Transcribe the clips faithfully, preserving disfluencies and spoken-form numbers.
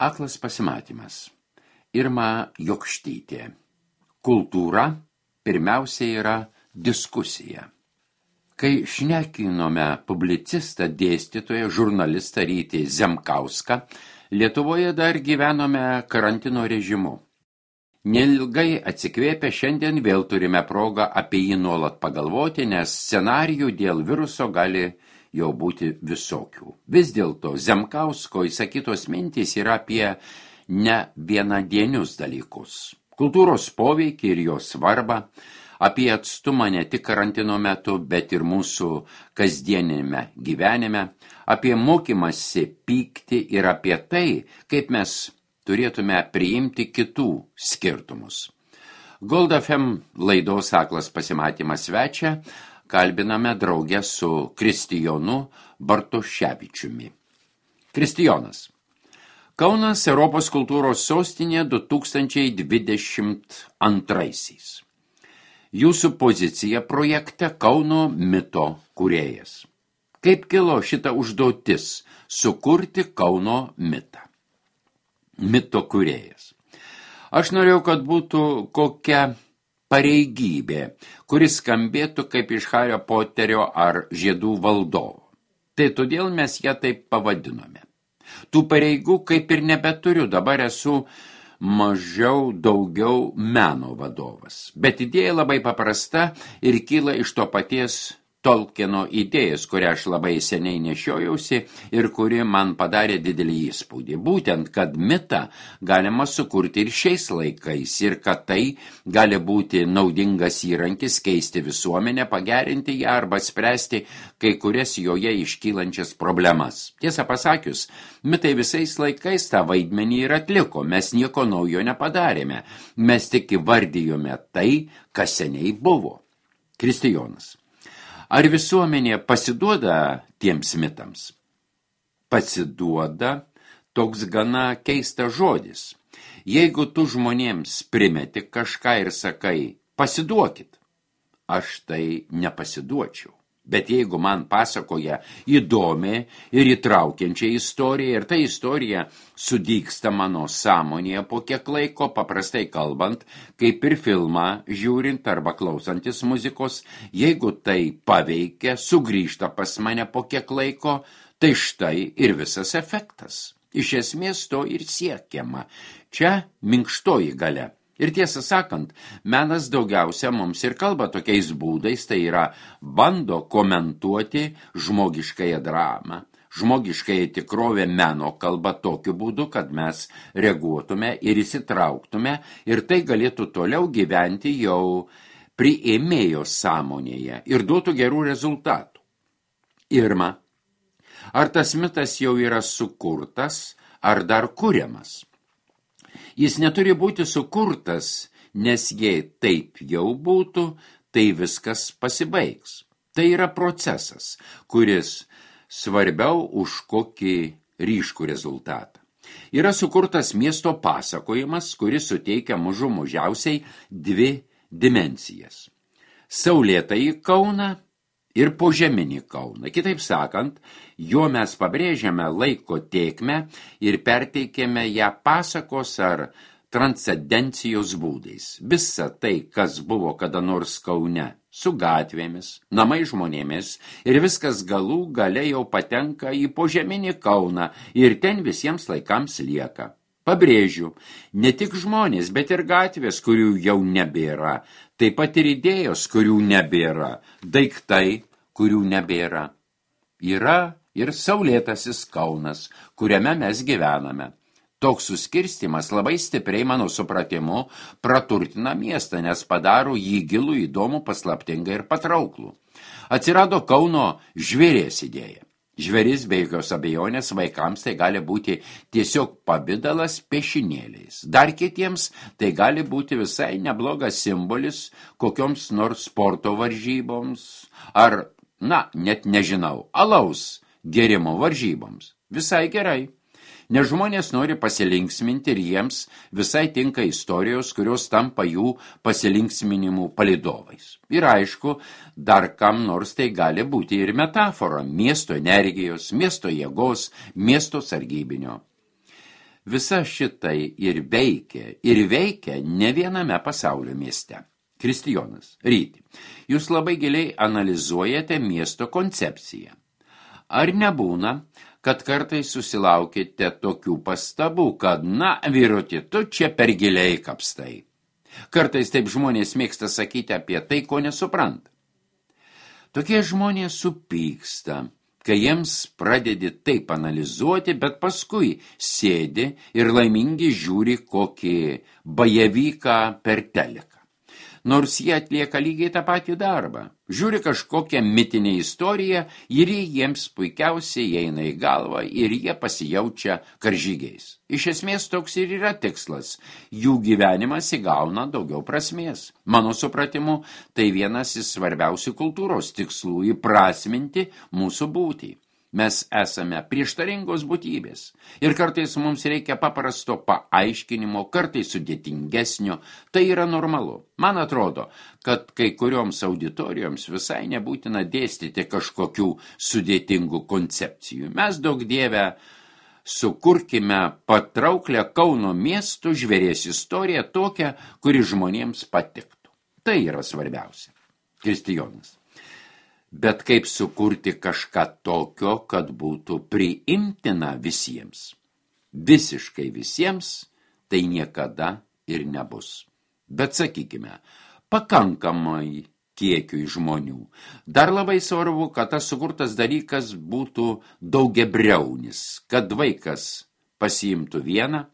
Aklas pasimatymas. Irma Jokštytė. Kultūra pirmiausia yra diskusija. Kai šnekinome publicistą, dėstytoją, žurnalistą Rytį Zemkauską, Lietuvoje dar gyvenome karantino režimu. Neilgai atsikvėpę šiandien vėl turime progą apie jį nuolat pagalvoti, nes scenarijų dėl viruso gali jau būti visokių. Vis dėlto Zemkausko įsakytos mintys yra apie ne vienadienius dalykus. Kultūros poveikį ir jo svarbą, apie atstumą ne tik karantino metu, bet ir mūsų kasdienime gyvenime, apie mokymąsi pykti ir apie tai, kaip mes turėtume priimti kitų skirtumus. Gold F M laidos Aklas pasimatymas svečia kalbiname draugę su Kristijonu Bartoševičiumi. Kristijonas. Kaunas Europos kultūros sostinė du tūkstančiai dvidešimt antraisiais. Jūsų pozicija projekte Kauno mito kūrėjas. Kaip kilo šita užduotis sukurti Kauno mitą? Mito kūrėjas. Aš norėjau, kad būtų kokia pareigybė, kuris skambėtų kaip iš Hario Poterio ar Žiedų valdovo. Tai todėl mes ją taip pavadinome. Tų pareigų kaip ir nebeturiu, dabar esu mažiau daugiau meno vadovas. Bet idėja labai paprasta ir kyla iš to paties Tolkieno idėjas, kurią aš labai seniai nešiojausi ir kuri man padarė didelį įspūdį. Būtent, kad mitą galima sukurti ir šiais laikais ir kad tai gali būti naudingas įrankis keisti visuomenę, pagerinti ją arba spręsti kai kurias joje iškylančias problemas. Tiesą pasakius, mitai visais laikais tą vaidmenį ir atliko, mes nieko naujo nepadarėme, mes tik įvardijome tai, kas seniai buvo. Kristijonas. Ar visuomenė pasiduoda tiems mitams? Pasiduoda toks gana keistas žodis. Jeigu tu žmonėms primeti kažką ir sakai, pasiduokit, aš tai nepasiduočiau. Bet jeigu man pasakoja įdomią ir įtraukiančią istoriją ir ta istorija sudygsta mano sąmonėje po kiek laiko, paprastai kalbant, kaip ir filmą žiūrint arba klausantis muzikos, jeigu tai paveikia, sugrįžta pas mane po kiek laiko, tai štai ir visas efektas. Iš esmės to ir siekiama. Čia minkštoji galia. Ir tiesą sakant, menas daugiausia mums ir kalba tokiais būdais, tai yra bando komentuoti žmogiškąją dramą, žmogiškąją tikrovę meno kalba tokiu būdu, kad mes reaguotume ir įsitrauktume ir tai galėtų toliau gyventi jau priėmėjo sąmonėje ir duotų gerų rezultatų. Irma, ar tas mitas jau yra sukurtas, ar dar kuriamas? Jis neturi būti sukurtas, nes jei taip jau būtų, tai viskas pasibaigs. Tai yra procesas, kuris svarbiau už kokį ryškų rezultatą. Yra sukurtas miesto pasakojimas, kuris suteikia mažų mažiausiai dvi dimensijas. Saulėtąjį Kauną ir požeminį Kauną. Kitaip sakant, juo mes pabrėžiame laiko tėkmę ir perteikėme ją pasakos ar transcendencijos būdais. Visa tai, kas buvo kada nors Kaune, su gatvėmis, namai žmonėmis ir viskas galų gale jau patenka į požeminį Kauną ir ten visiems laikams lieka. Pabrėžiu, ne tik žmonės, bet ir gatvės, kurių jau nebėra, taip pat ir idėjos, kurių nebėra, daiktai, kurių nebėra. Yra ir saulėtasis Kaunas, kuriame mes gyvename. Toks suskirstimas labai stipriai, mano supratimu, praturtina miestą, nes padaro jį gilų, įdomų, paslaptingą ir patrauklų. Atsirado Kauno žvėries idėja. Žvėris be jokios abejonės vaikams tai gali būti tiesiog pavidalas piešinėliais. Dar kitiems tai gali būti visai neblogas simbolis kokioms nors sporto varžyboms ar, na, net nežinau, alaus gėrimo varžyboms. Visai gerai. Nes žmonės nori pasilinksminti ir jiems visai tinka istorijos, kurios tampa jų pasilinksminimų palydovais. Ir aišku, dar kam nors tai gali būti ir metafora miesto energijos, miesto jėgos, miesto sargybinio. Visa šitai ir veikia, ir veikia ne viename pasaulio mieste. Kristijonas, ryti, jūs labai giliai analizuojate miesto koncepciją. Ar nebūna, kad kartais susilaukite tokių pastabų, kad, na, vyruti, tu čia per giliai kapstai. Kartais taip žmonės mėgsta sakyti apie tai, ko nesupranta. Tokie žmonės supyksta, kai jiems pradedi taip analizuoti, bet paskui sėdi ir laimingi žiūri kokį bajevyką per teleką. Nors jie atlieka lygiai tą patį darbą. Žiūri kažkokią mitinę istoriją ir jiems puikiausiai eina į galvą ir jie pasijaučia karžygiais. Iš esmės toks ir yra tikslas. Jų gyvenimas įgauna daugiau prasmės. Mano supratimu, tai vienas iš svarbiausių kultūros tikslų – įprasminti mūsų būtį. Mes esame prieštaringos būtybės ir kartais mums reikia paprasto paaiškinimo, kartais sudėtingesnio, tai yra normalu. Man atrodo, kad kai kurioms auditorijoms visai nebūtina dėstyti kažkokių sudėtingų koncepcijų. Mes daug dievę sukurkime patrauklę Kauno miestų žvėries istoriją tokią, kuri žmonėms patiktų. Tai yra svarbiausia. Kristijonas. Bet kaip sukurti kažką tokio, kad būtų priimtina visiems? Visiškai visiems tai niekada ir nebus. Bet sakykime, pakankamai kiekiui žmonių. Dar labai svarbu, kad tas sukurtas dalykas būtų daugiabriaunis, kad vaikas pasiimtų vieną,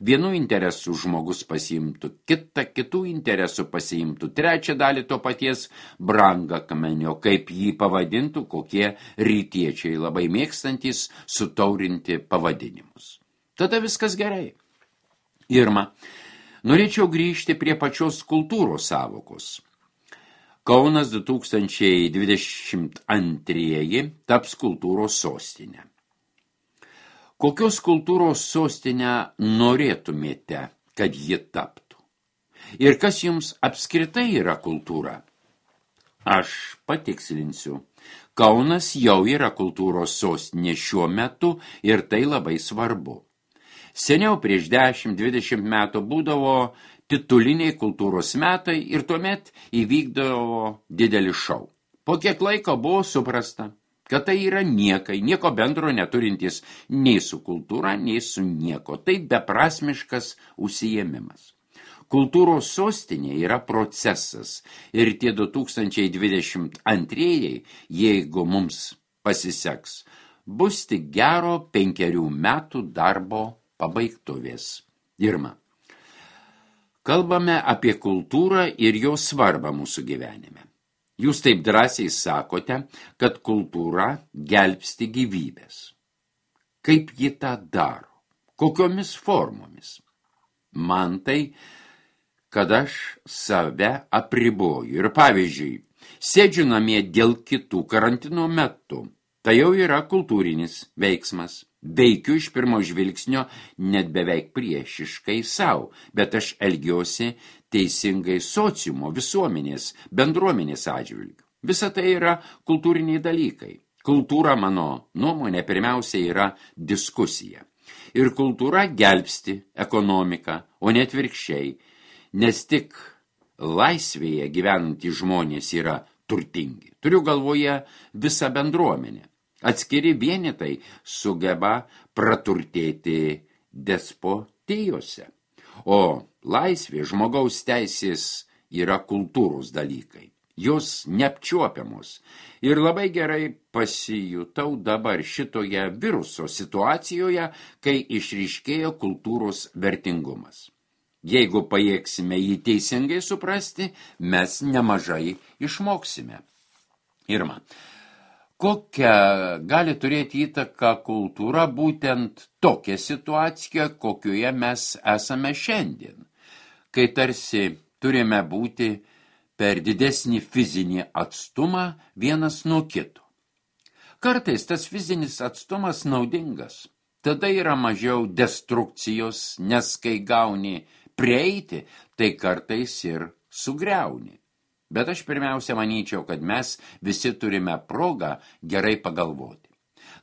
vienų interesų žmogus pasiimtų kitą, kitų interesų pasiimtų trečią dalį to paties brangakmenio, kaip jį pavadintų kokie rytiečiai labai mėgstantys sutaurinti pavadinimus. Tada viskas gerai. Irma, norėčiau grįžti prie pačios kultūros sąvokos. Kaunas du tūkstančiai dvidešimt antrieji taps kultūros sostinė. Kokios kultūros sostinę norėtumėte, kad ji taptų? Ir kas jums apskritai yra kultūra? Aš patikslinsiu. Kaunas jau yra kultūros sostinė šiuo metu ir tai labai svarbu. Seniau prieš dešimt dvidešimt metų būdavo tituliniai kultūros metai ir tuomet įvykdavo didelį šou. Po kiek laiko buvo suprasta, kad tai yra niekai, nieko bendro neturintis nei su kultūra, nei su nieko. Tai beprasmiškas užsiėmimas. Kultūros sostinė yra procesas ir tie du tūkstančiai dvidešimt antrieji, jeigu mums pasiseks, bus tik gero penkerių metų darbo pabaigtuvės. Irma, kalbame apie kultūrą ir jos svarbą mūsų gyvenime. Jūs taip drąsiai sakote, kad kultūra gelbsti gyvybės. Kaip ji tą daro? Kokiomis formomis? Man tai, kad aš save apriboju. Ir pavyzdžiui, sėdžiu namie dėl kitų karantino metu. Tai jau yra kultūrinis veiksmas. Veikiu iš pirmo žvilgsnio net beveik priešiškai savo, bet aš elgiuosi teisingai sociumo, visuomenės, bendruomenės atžvilgiu. Visa tai yra kultūriniai dalykai. Kultūra, mano nuomonė, pirmiausia yra diskusija. Ir kultūra gelbsti ekonomiką, o ne atvirkščiai, nes tik laisvėje gyvenantys žmonės yra turtingi. Turiu galvoje visą bendruomenę. Atskiri vienetai sugeba praturtėti despotijose, o laisvė, žmogaus teisės yra kultūros dalykai. Jos neapčiuopiamos. Ir labai gerai pasijutau dabar šitoje viruso situacijoje, kai išryškėjo kultūros vertingumas. Jeigu pajėgsime jį teisingai suprasti, mes nemažai išmoksime. Irma, kokią gali turėti įtaką kultūra būtent tokia situacija, kokioje mes esame šiandien, kai tarsi turime būti per didesnį fizinį atstumą vienas nuo kito. Kartais tas fizinis atstumas naudingas, tada yra mažiau destrukcijos, nes kai gauni prieiti, tai kartais ir sugriauni. Bet aš pirmiausia manyčiau, kad mes visi turime progą gerai pagalvoti.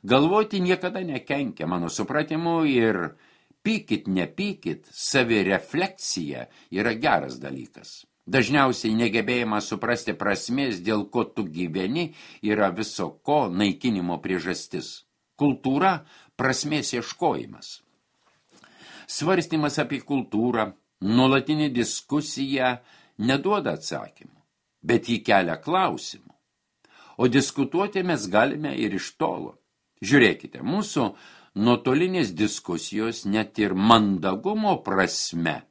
Galvoti niekada nekenkia, mano supratimu, ir Pykit, nepykit, savirefleksija yra geras dalykas. Dažniausiai negebėjimas suprasti prasmės, dėl ko tu gyveni, yra viso ko naikinimo priežastis. Kultūra – prasmės ieškojimas. Svarstymas apie kultūrą, nuolatinė diskusija neduoda atsakymų, bet jį kelia klausimų. O diskutuoti mes galime ir iš tolo. Žiūrėkite, mūsų nuotolinės diskusijos net ir mandagumo prasme.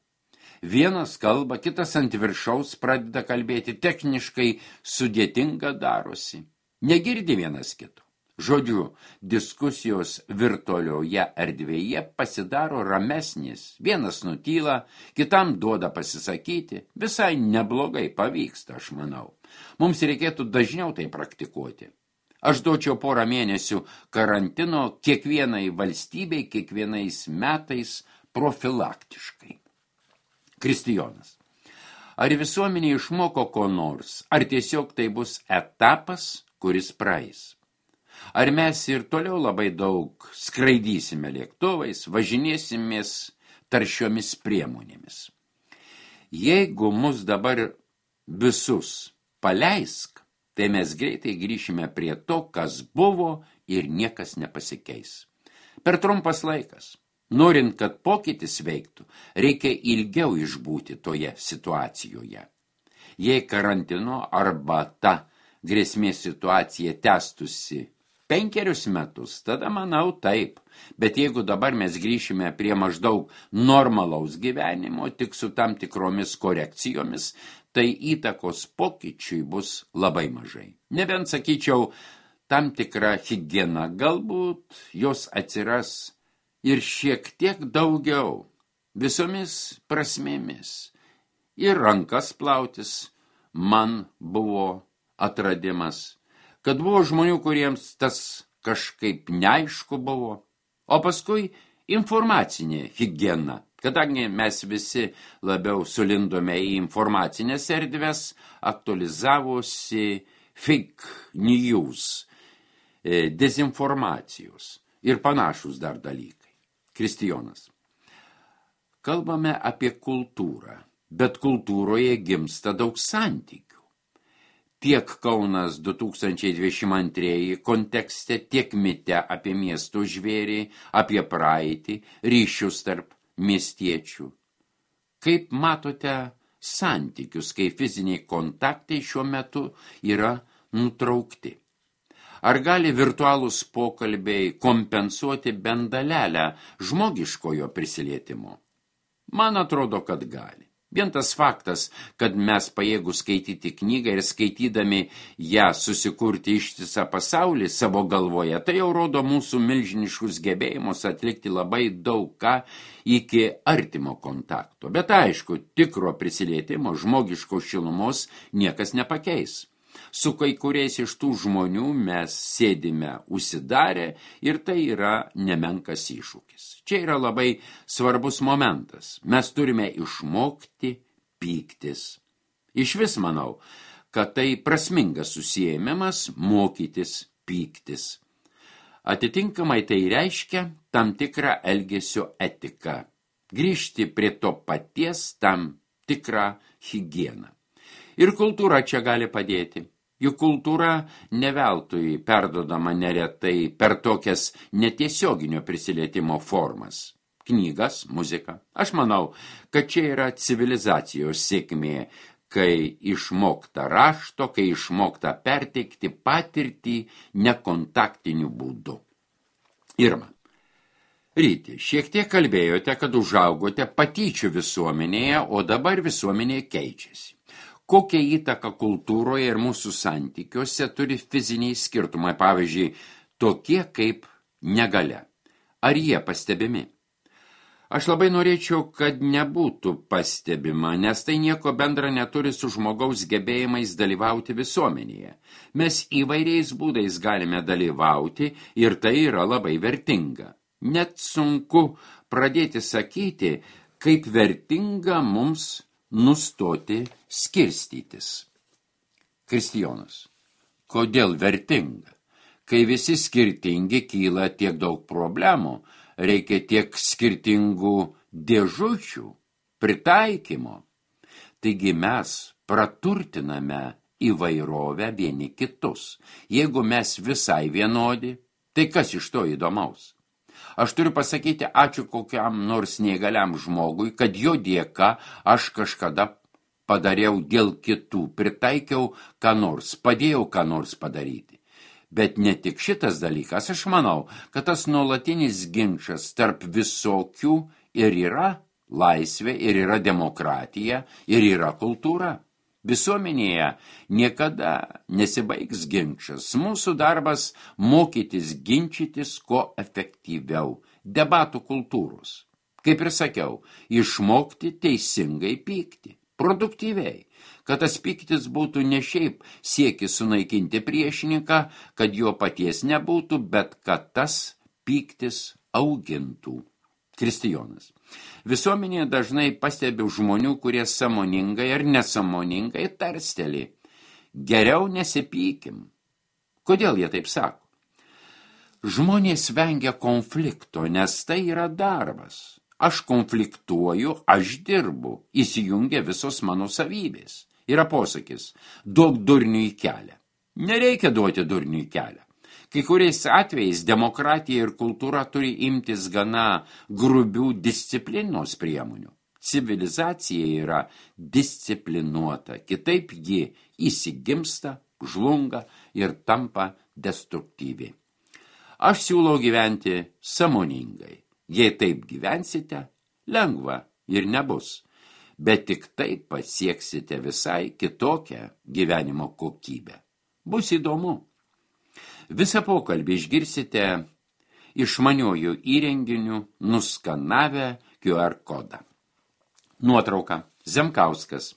Vienas kalba, kitas ant viršaus pradeda kalbėti, techniškai sudėtinga darosi. Negirdi vienas kito. Žodžiu, diskusijos virtualioje erdvėje pasidaro ramesnis. Vienas nutyla, kitam duoda pasisakyti. Visai neblogai pavyksta, aš manau. Mums reikėtų dažniau tai praktikuoti. Aš duočiau porą mėnesių karantino kiekvienai valstybei, kiekvienais metais profilaktiškai. Kristijonas. Ar visuomenė išmoko ko nors, ar tiesiog tai bus etapas, kuris praeis? Ar mes ir toliau labai daug skraidysime lėktuvais, važinėsimės taršiomis priemonėmis? Jeigu mus dabar visus paleisk, tai mes greitai grįšime prie to, kas buvo ir niekas nepasikeis. Per trumpas laikas. Norint, kad pokytis veiktų, reikia ilgiau išbūti toje situacijoje. Jei karantino arba ta grėsmės situacija tęstusi penkerius metus, tada manau taip. Bet jeigu dabar mes grįšime prie maždaug normalaus gyvenimo, tik su tam tikromis korekcijomis, tai įtakos pokyčiui bus labai mažai. Nebent, sakyčiau, tam tikra higiena, galbūt jos atsiras ir šiek tiek daugiau, visomis prasmėmis. Ir rankas plautis man buvo atradimas, kad buvo žmonių, kuriems tas kažkaip neaišku buvo, o paskui informacinė higiena. Kadangi mes visi labiau sulindome į informacinės erdves, aktualizavosi fake news, dezinformacijos ir panašus dar dalykai. Kristijonas. Kalbame apie kultūrą, bet kultūroje gimsta daug santykių. Tiek Kaunas du tūkstančiai dvidešimt antrieji kontekste, tiek mite apie miesto žvėrį, apie praeitį, ryšius tarp miestiečių. Kaip matote santykius, kai fiziniai kontaktai šiuo metu yra nutraukti? Ar gali virtualūs pokalbiai kompensuoti bent dalelę žmogiškojo prisilietimo? Man atrodo, kad gali. Vien tas faktas, kad mes pajėgūs skaityti knygą ir skaitydami ją susikurti ištisą pasaulį savo galvoje, tai jau rodo mūsų milžiniškus gebėjimus atlikti labai daug ką iki artimo kontakto. Bet aišku, tikro prisilietimo, žmogiškos šilumos niekas nepakeis. Su kai kuriais iš tų žmonių mes sėdime užsidarę ir tai yra nemenkas iššūkis. Čia yra labai svarbus momentas. Mes turime išmokti pyktis. Iš vis manau, kad tai prasmingas susiėmimas mokytis pyktis. Atitinkamai tai reiškia tam tikrą elgesio etiką. Grįžti prie to paties tam tikrą higieną. Ir kultūra čia gali padėti. Juk kultūra neveltui perdodama neretai per tokias netiesioginio prisilietimo formas. Knygas, muzika. Aš manau, kad čia yra civilizacijos sėkmė, kai išmokta rašto, kai išmokta perteikti patirtį nekontaktiniu būdu. Irma. Ryti, šiek tiek kalbėjote, kad užaugote patyčių visuomenėje, o dabar visuomenė keičiasi. Kokią įtaką kultūroje ir mūsų santykiuose turi fiziniai skirtumai, pavyzdžiui, tokie kaip negalia? Ar jie pastebimi? Aš labai norėčiau, kad nebūtų pastebima, nes tai nieko bendra neturi su žmogaus gebėjimais dalyvauti visuomenėje. Mes įvairiais būdais galime dalyvauti ir tai yra labai vertinga. Net sunku pradėti sakyti, kaip vertinga mums nustoti skirstytis. Kristijonas. Kodėl vertinga? Kai visi skirtingi, kyla tiek daug problemų. reikia tiek skirtingų dėžučių, pritaikymo. Taigi mes praturtiname įvairovę vieni kitus. Jeigu mes visai vienodi, tai kas iš to įdomaus? Aš turiu pasakyti ačiū kokiam nors neįgaliam žmogui, kad jo dėka aš kažkada padariau dėl kitų, pritaikiau ką nors, padėjau ką nors padaryti. Bet ne tik šitas dalykas, aš manau, kad tas nuolatinis ginčas tarp visokių ir yra laisvė, ir yra demokratija, ir yra kultūra. Visuomenėje niekada nesibaigs ginčas. Mūsų darbas mokytis ginčytis kuo efektyviau, debatų kultūros. Kaip ir sakiau, išmokti teisingai pykti, produktyviai, kad tas pyktis būtų ne šiaip siekis sunaikinti priešininką, kad jo paties nebūtų, bet kad tas pyktis augintų. Kristijonas. Visuomenėje dažnai pastebiu žmonių, kurie sąmoningai ar nesąmoningai tarsteli. Geriau nesipykim. Kodėl jie taip sako? Žmonės vengia konflikto, nes tai yra darbas. Aš konfliktuoju, aš dirbu, įsijungia visos mano savybės. Yra posakis, duok durniui kelią. Nereikia duoti durniui kelią. Kai kuriais atvejais demokratija ir kultūra turi imtis gana grubių disciplinos priemonių. Civilizacija yra disciplinuota, kitaip ji įsigimsta, žlunga ir tampa destruktyvi. Aš siūlau gyventi sąmoningai. Jei taip gyvensite, lengva ir nebus, bet tik taip pasieksite visai kitokią gyvenimo kokybę. Bus įdomu. Visą pokalbį išgirsite išmaniojų įrenginių nuskanavę Q R kodą. Nuotrauka. Zemkauskas.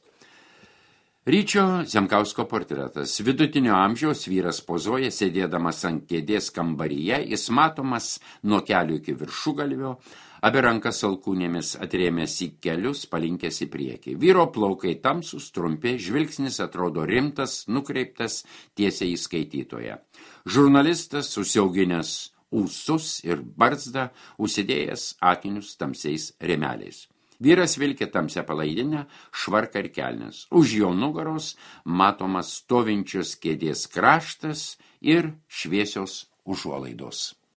Ryčio Zemkausko portretas. Vidutinio amžiaus vyras pozuoja, sėdėdamas ant kėdės kambaryje, jis matomas nuo kelių iki viršugalvio, abi rankas alkūnėmis atrėmęs į kelius, palinkęs į priekį. Vyro plaukai tamsus, trumpi, žvilgsnis atrodo rimtas, nukreiptas tiesiai į skaitytoją. Žurnalistas susiauginęs ūsus ir barzdą, užsidėjęs akinius tamsiais rėmeliais. Vyras vilkė tamsią palaidinę, švarką ir kelnes. Už jo nugaros matomas stovinčios kėdės kraštas ir šviesios užuolaidos.